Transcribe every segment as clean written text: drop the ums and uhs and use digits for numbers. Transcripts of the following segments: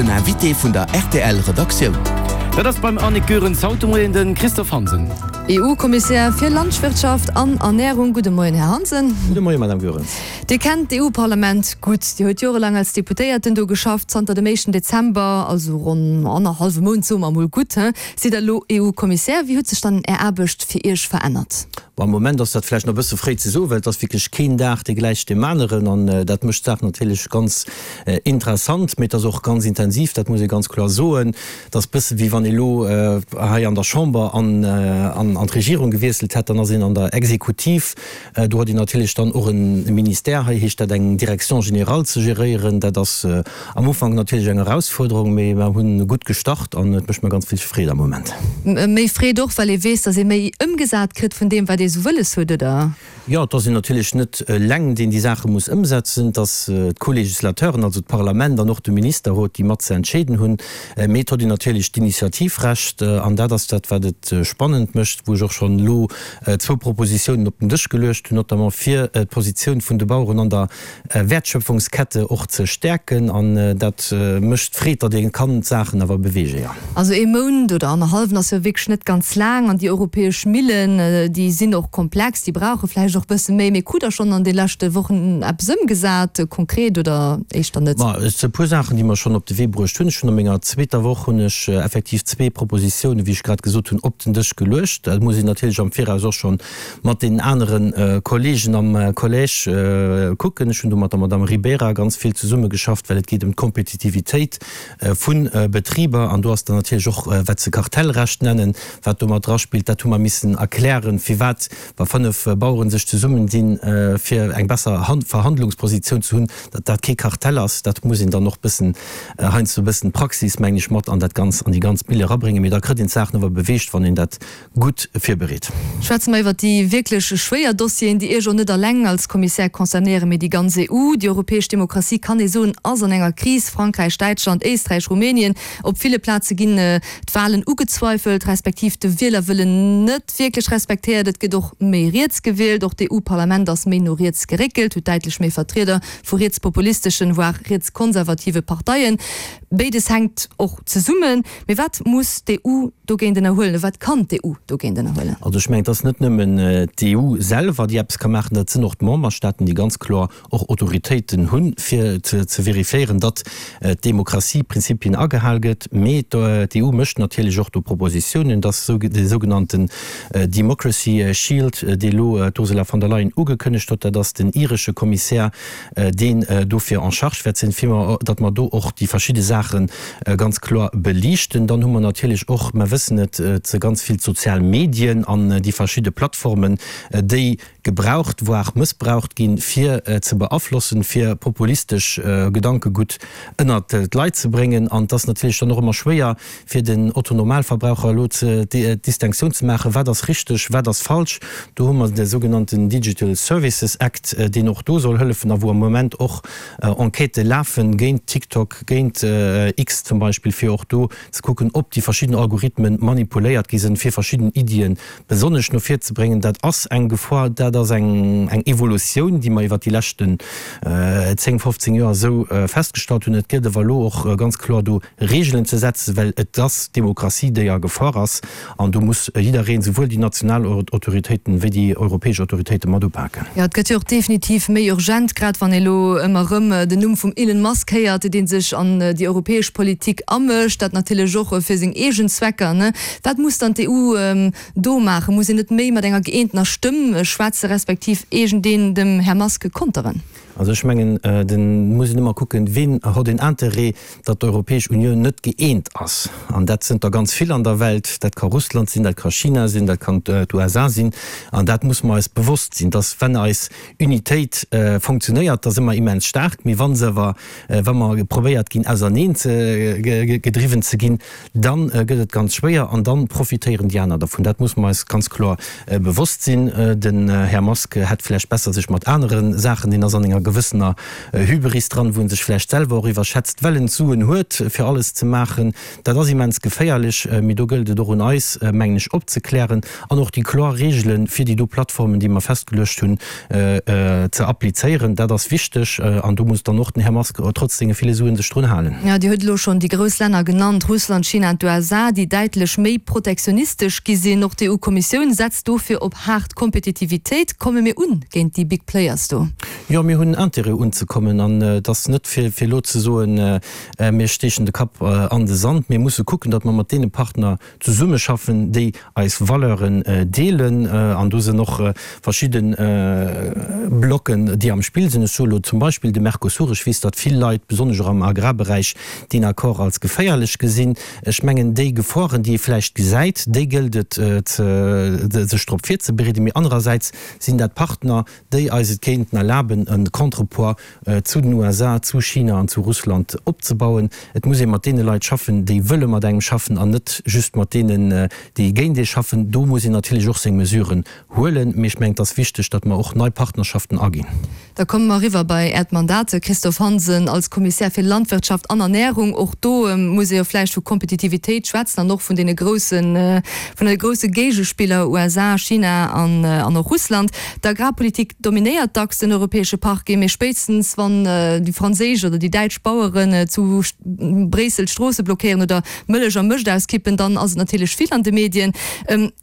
Den Invité vun der rtl Redaktioun. Dat ass beim Annick Goerens haut de Moien de Christophe Hansen. EU-Kommissär fir Landwirtschaft an Ernärung. Gudde Moien, Här Hansen. Gudde Moien, Madame Goerens. Dir kennt d'EU-Parlament gutt. Dir huet jorelaang als Deputéierten do geschafft. Zanter dem éischten Dezember, also ronn annerhallwe Mount, soe mer emol gutt, sidd Der elo EU-Kommissär. Wéi huet sech dann Är Aarbecht fir Iech verännert? Bon, am Moment ass dat vläicht nach e bësse fréi ze soen, well et ass wierklech keen Dag, dee gläicht deem aneren. An dat mécht d'Saach natierlech ganz interessant, mee et ass och ganz intensiv, dat muss ee ganz kloer soen. Et ass e bësse wéi wann ee elo hei an der Chamber an an d'Regierung gewiesselt hätt, dann ass een an der Exekutiv. Do huet een natierlech dann och e Ministère, hei heescht dat eng Direction générale ze geréieren. Dat ass am Ufank natierlech eng Erausfuerderung, mee mer hunn gutt gestart an et mécht mer ganz vill Freed am Moment. Méi Freed och, well ee weess, datt ee méi ëmgesat kritt vun deem, wat ee sou wëlles huet, oder? Jo, et ass een natierlech net eleng, deen déi Saache muss ëmsetzen. Et ass d'Co-Législateuren, also d'Parlament an och de Ministerrot, déi mat ze entscheeden hunn. Mee et huet een natierlech d'Initiativrecht an dat ass dat, wat et spannend mécht, wou ech och schonn elo zwou Propositiounen op den Dësch geluecht hunn, notamment fir d'Positioun vun de Baueren an der Wäertschöpfungskette och ze stäerken. An dat mécht Freed, datt ee kann d'Saachen awer beweegen, jo. Also ee Mount oder annerhallwen ass jo wierklech net ganz laang. An déi europäesch Millen, déi sinn och komplex, déi brauche vläicht och e bësse méi. Mee krut Der schonn an de leschte Wochen eppes ëmgesat, konkret oder éischter net? Ma et si e puer Saachen, déi mer schonn op de Wee bruecht hunn. Ech hunn a menger zweeter Woch hunn ech effektiv zwee Propositiounen, wéi ech grad gesot hunn, op den Dësch geluecht. Dat muss een natierlech am Viraus och schonn mat deenen anere Kollegen am Collège kucken. Ech hunn do mat der Madame Ribeira ganz vill zesummegeschafft, well et geet ëm d'Kompetitivitéit vu Betriber. An do ass dann natierlech och, wat se Kartellrecht nennen, wat do mat draspillt. Dat hu mer missen erklären, firwat, wa 5 Bauere sech zesummendinn, fir eng besser Verhandlungspositioun ze hunn, datt dat kee Kartell ass. Dat muss een dann och bëssen, heiansdo e bëssen d'Praxis, mengen ech, mat an dat Ganz, an déi ganz Mille erabréngen. Mee da kritt een d'Saachen awer beweegt, wann een dat gutt virbereet. Schwätze mer iwwert déi wierklech schwéier Dossieren, déi Iech och net alleng als Kommissär concernéieren, mee déi ganz EU. Déi europäesch Demokratie, kann ee soen, ass an enger Kris. Frankräich, Däitschland, Éisträich, Rumänien, op ville Plaze ginn d'Wahlen ugezweifelt, respektiv de Wielerwëllen net wierklech respektéiert. Et gëtt och méi riets gewielt. Och d'EU-Parlament ass méi no riets geréckelt, huet däitlech méi Vertrieder vu rietspopulisteschen, voire rietskonservative Parteien. Béides hänkt och zesummen. Mee wat muss d'EU dogéint ënnerhuelen, oder wat kann d'EU dogéint ënnerhuelen? Also ech mengen, et ass net nëmmen d'EU selwer, déi eppes ka maachen, dat sinn och d'Memberstaaten, déi ganz kloer och Autoritéiten hunn, fir ze vérifiéieren, datt d'Demokratieprinzipien agehal gëtt. Mee d'EU mécht natierlech och do Propositiounen, datt dee sougenannten Democracy Shield, dee elo d'Ursula von der Leyen ugekënnegt huet, dat ass den iresche Kommissär, deen dofir en charge wäert sinn, fir mer, datt mer do och déi verschidde Saache ganz kloer beliichten. Dann hu mer natierlech och, mer wëssen et, ze ganz vill d'sozial Medien an déi verschidde Plattformen, déi gebraucht, voire mëssbraucht ginn, fir ze beaflossen, fir populistesch Gedankegutt ënnert d'Leit ze bréngen. An et ass natierlech dann och ëmmer schwéier, fir den Otto-Normalverbraucher elo d'Distinctioun ze maachen, wat ass richteg, wat ass falsch. Do hu mer de sougenannten Digital Services Act, deen och do soll hëllefen a wou am Moment och Enquêtë lafen géint TikTok, géint X zum Beispill, fir och do ze kucken, ob déi verschidden Algorithmen manipuléiert gi sinn, fir verschidden Iddien besonnesch no vir ze bréngen. Dat ass eng Gefor, dat ass eng Evolutioun, déi mer iwwert déi leschten 10, 15 Joer esou festgestallt hunn. Et gëtt awer elo och ganz kloer do Reegelen ze setzen, well et ass d'Demokratie, déi a Gefor ass, an do muss jiddereen, souwuel déi national Autoritéiten wéi déi europäesch Autoritéiten, mat upaken. Jo, et gëtt jo och definitiv méi urgent, grad wann ee elo ëmmer erëm den Numm vum Elon Musk héiert, dee sech an déi europäesch Politik amëscht, dat natierlech och fir seng eegen Zwecker, ne? Wat muss dann d'EU do maachen? Muss een net méi mat enger gëeentener Stëmm schwätzen, respektiv iergendeen dem Här Musk konteren? Also ech mengen, et muss een ëmmer kucken, ween hott een Interêt, datt d'Europäesch Unioun net gëeent ass. An dat sënn der ganz vill an der Welt. Dat ka Russland sinn, dat ka China sinn, dat kann d'USA sinn. An dat muss mer eis bewosst sinn, datt wenn eis Unitéit fonctionnéiert, da si mer immens staark. Mee wa se awer, wa mer probéiert ginn auserneen ze gedriwwen ze ginn, Dann gëtt et ganz schwéier an dann profitéieren déi aner dervun. Dat muss mer eis ganz kloer bewosst sinn. Den Här Musk hätt vläicht besser sech mat anere Saachen, deen ass an enger. gewëssener Hybris dran, wou en sech vläicht selwer och iwwerschätzt, well en d'Suen huet, fir alles ze maachen. Dat ass immens geféierlech, mee do gëllt et och un eis, mengen ech, opzeklären an och déi kloer Reegele fir déi do Plattformen, déi mer festgeluecht hunn, ze applizéieren. Dat ass wichteg an do muss dann och den Här Musk trotz senge ville Suen sech drun halen. Jo, Dir hutt elo schonn déi grouss Länner genannt, Russland, China an d'USA, déi däitlech méi protektionistesch gi sinn. Och d'EU-Kommissioun setzt dofir op haart Kompetitivitéit. Komme mir un géint déi Big Players do? Jo, mir hunn Intérêt unzekommen an et ass net fir elo ze soen, mir steechen de Kapp an de Sand. Mir musse kucken, datt mer mat deene Partner zesummeschaffen, déi eis Valeuren deelen. An do sinn och verschidde Blocken, déi am Spill sinn. Ech soe elo zum Beispill de Mercosur. Ech weess, datt vill Leit, besonnesch och am Agrarberäich, deen Accord als geféierlech gesinn. Ech mengen, déi Geforen, déi ee vläicht gesäit, déi gëllt et, sech drop virzebereeden. Mee anerersäits sinn dat Partner, déi eis et kéinten erlaben, e Contrepoids zu den USA, zu China an zu Russland opzebauen. Et muss ee mat deene Leit schaffen, déi wëlle mat engem schaffen an net just mat deenen, déi géint ee schaffen. Do muss een natierlech och seng Mesuren huelen. Mee ech mengen, et ass wichteg, datt mer och nei Partnerschaften aginn. Da komme mer eriwwer bei Äert Mandat, Christophe Hansen, als Kommissär fir Landwirtschaft an Ernährung. Och do muss ee jo vläicht vu Kompetitivitéit schwätzen an och vun deene groussen, vun de grousse Géigespiller USA, China an och Russland. D'Agrarpolitik dominéiert dacks den europäesche Parquet, mee spéitstens wann déi franséisch oder déi däitsch Baueren zu Bréissel d'Stroosse blockéieren oder Mëllech a Mëscht auskippen, dann ass et natierlech vill an de Medien.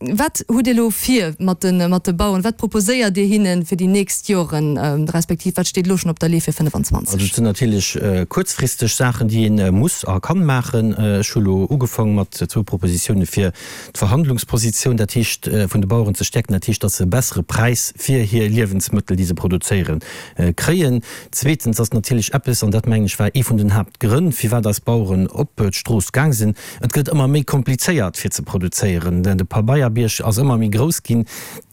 Wat hutt Dir elo vir mat de Baueren? Wat proposéiert Dir hinne fir déi nächst Joren, respektiv wat steet elo schonn op der Lee fir 25? Also et sinn natierlech kuerzfristeg Saachen, déi ee muss a kann maachen. Ech hu elo ugefaang mat zwou Propositioune fir d'Verhandlungspositioun, dat heescht vun de Baueren ze stäerken, dat heescht, datt se e bessere Präis fir hir Liewensmëttel, déi se produzéieren, kréien. Zweetens ass natierlech eppes, an dat mengen ech war ee vun den Haaptgrënn, firwat eis Baueren op d'Strooss gaang sinn, Et gëtt ëmmer méi komplizéiert fir ze produzéieren, de Pabeierbierg ass ëmmer méi grouss ginn.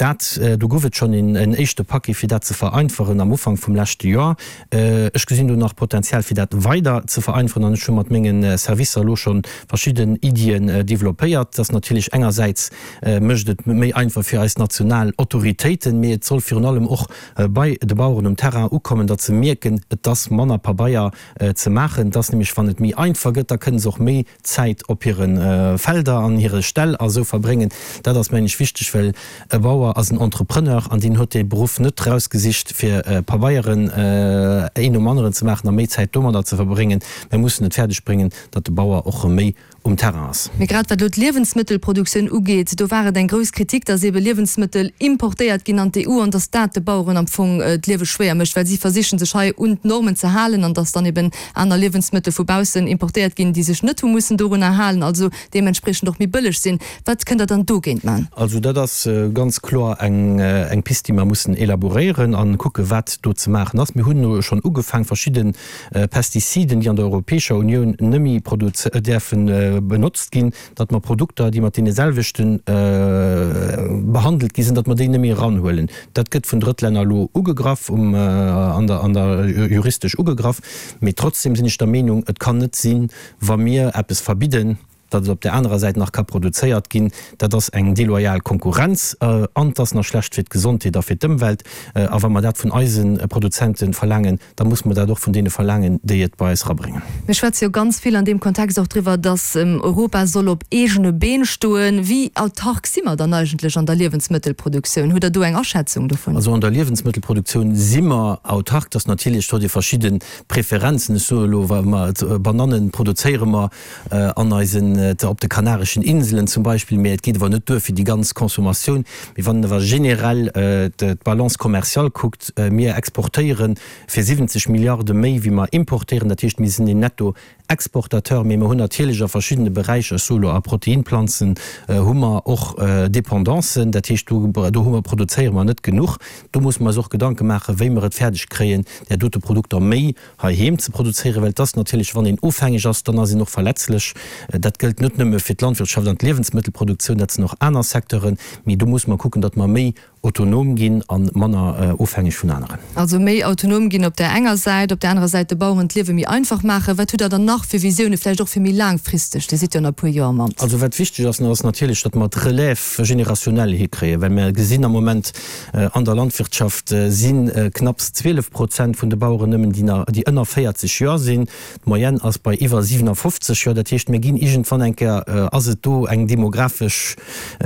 Dat, do gouf et schonn en éischte Paquet fir dat ze vereinfachen am Ufank vum leschte Joer. Ech gesinn do nach Potenzial fir dat weider ze vereinfachen an ech hu mat menge Servicer elo scho verschidden Iddien developpéiert. Dass natierlech engersäits mécht et méi einfach fir eis national Autoritéiten, mee et soll virun allem och bei de Baueren um Terrain ukommen, datt se mierken, et ass manner Pabeier ze maachen. Et ass nämlech, wann et méi einfach gëtt, da kënne se och méi Zäit op hire Felder an hire Ställ a sou verbréngen. Dat ass, mengen ech, wichteg, well e Bauer ass en Entrepreneur an deen huet dee Beruff net rausgesicht, fir Pabeieren een nom aneren ze maachen a méi Zäit domadder ze verbréngen. Mir mussen et fäerdeg bréngen, datt de Bauer och erëm méi um Terrain ass. Mee grad wat elo d'Liewensmëttelproduktioun ugeet, do war et eng grouss Kritik, datt eebe Liewensmëttel importéiert ginn an d'EU an datt dat de Baueren am Fong d'Liewe schwéier mécht, well si versichen, sech hei un d'Normen ze halen an datt dann eeben aner Liewensmëttel vu baussen importéiert ginn, déi sech net hu mussen dorunner halen, also deementspriechend och méi bëlleg sinn. Wat kënnt Der dann dogéint man? Also dat ass ganz kloer eng Pist, déi mer mussen elaboréieren a kucken, wat do ze maachen ass. Mir hunn elo schonn ugefaang, verschidde Pestiziden, déi an der Europäescher Unioun nëmme däerfe benotzt ginn, datt mer Produkter, déi mat deene selwechte behandelt gi sinn, datt mer déi net méi eranhuelen. Dat gëtt vun Drëttlänner elo ugegraff, an der, an der juristesch ugegraff. Mee trotzdem sinn ech der Meenung, et kann net sinn, wa mir eppes verbidden, datt et op där anerer Säit nach ka produzéiert ginn. Dat ass eng deloyal Konkurrenz an et ass nach schlecht fir d'Gesondheet a fir d'Ëmwelt. A wa mer dat vun eise Produzente verlaangen, da musse mer dat och vun deene verlaangen, déi et bei eis erabréngen. Mir schwätze jo ganz vill an deem Kontext och driwwer, dass Europa soll op eegene Been stoen. Wéi autark si mer dann eigentlech an der Liewensmëttelproduktioun? Hutt Der do eng Aschätzung dovun? Also an der Liewensmëttelproduktioun si mer autark. Dass natierlech do déi verschidde Preferenzen, ech soe elo, wa mer Banannen produzéiere mer an eisen, op de Kanareschen Inselen zum Beispill, mä et geet awer net duer fir déi ganz Consommatioun. Mee wann een awer generell d'Balance commerciale kuckt, mir exportéiere fir 70 Milliarde méi wéi mer importéieren, dat heescht mir sinn een Nettoexportateur, mee mer hunn natierlech a verschiddene Beräicher, ech soe lo a Proteinplanzen, hu mer och Dependancen, dat heescht do do hu mer, produzéiere mer net genuch. Do musse mer eis och Gedanke maachen, wéi mer et fäerdeg kréien, där dote Produkter méi heiheem ze produzéieren, well et ass natierlech, wann een ofhängeg ass, dann ass een och verletzlech. Dat gëllt net nëmme fir d'Landwirtschaft an d'Liewensmëttelproduktioun, dat sinn och aner Secteuren, mee do musse mer kucken, datt mer méi. autonom ginn a manner ofhängeg vun aneren. Also méi autonom ginn op där enger Säit, op där anerer Säit de Baueren d'Liewe méi einfach maachen. Wat hutt Der dann nach fir Visioune, vläicht och fir méi laangfristeg? Dir sidd jo nach e puer Joer am Amt. Also wat wichteg ass, ass natierlech, datt mer d'Relève générationnelle hikréien, well mer gesinn am Moment an der Landwirtschaft si knapps 12 Prozent vun de Baueren nëmmen, déi ënner 40 Joer sinn. D'Moyenne ass bei iwwer 57 Joer. Dat heescht, mir ginn iergendwann eng Kéier, ass et do eng demografesch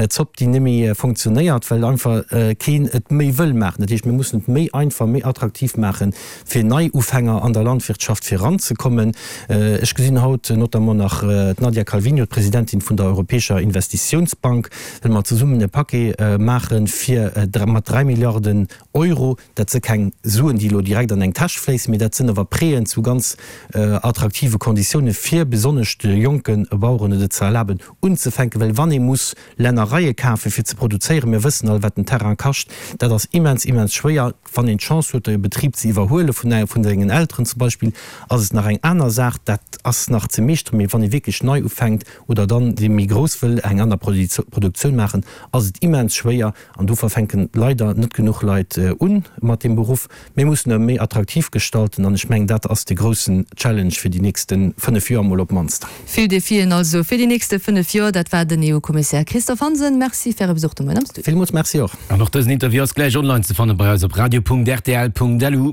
Zopp, déi net méi fonctionnéiert, well einfach keen et méi wëll maachen. Dat heescht, mir mussen et méi einfach, méi attraktiv maachen, fir Neiufänger an der Landwirtschaft fir eranzekommen. Ech gesinn haut notamment nach d'Nadia Calviño, d'Presidentin vun der Europäescher Investitiounsbank, well mer zesummen e Paquet maache fir mat 3 Milliarden Euro. Dat si keng Suen, déi elo direkt an eng Täsch fléissen, mee dat sinn awer Prêten zu ganz attraktive Konditiounen, fir besonnesch de jonke Baueren et ze erlaben unzefänken. Well wann ee muss Lännereie kafen, fir ze produzéieren, mir wëssen all, wat den Terrain kascht, dat ass immens, immens schwéier. Wann een d'Chance huet, e Betrib ze iwwerhuele vun sengen Elteren zum Beispill, ass et nach eng aner Saach, dat ass nach ze meeschteren. Mee wann ee wierklech nei ufänkt oder dann dee méi grouss wëll eng aner Produktioun maachen, ass et immens schwéier. An dofir fänken leider net genuch Leit un mat deem Beruff. Mir mussen e méi attraktiv gestalten an ech mengen, dat ass de groussen Challenge fir déi nächste 5 Joer emol op d'mannst. Vill Defien also fir déi nächste 5 Joer. Dat war den EU-Kommissär Christophe Hansen. Merci fir Äre Besuch de Moien am Studio. Villmools Merci och. An och dësen Interview ass gläich online ze fanne bei eis op radio.rtl.lu.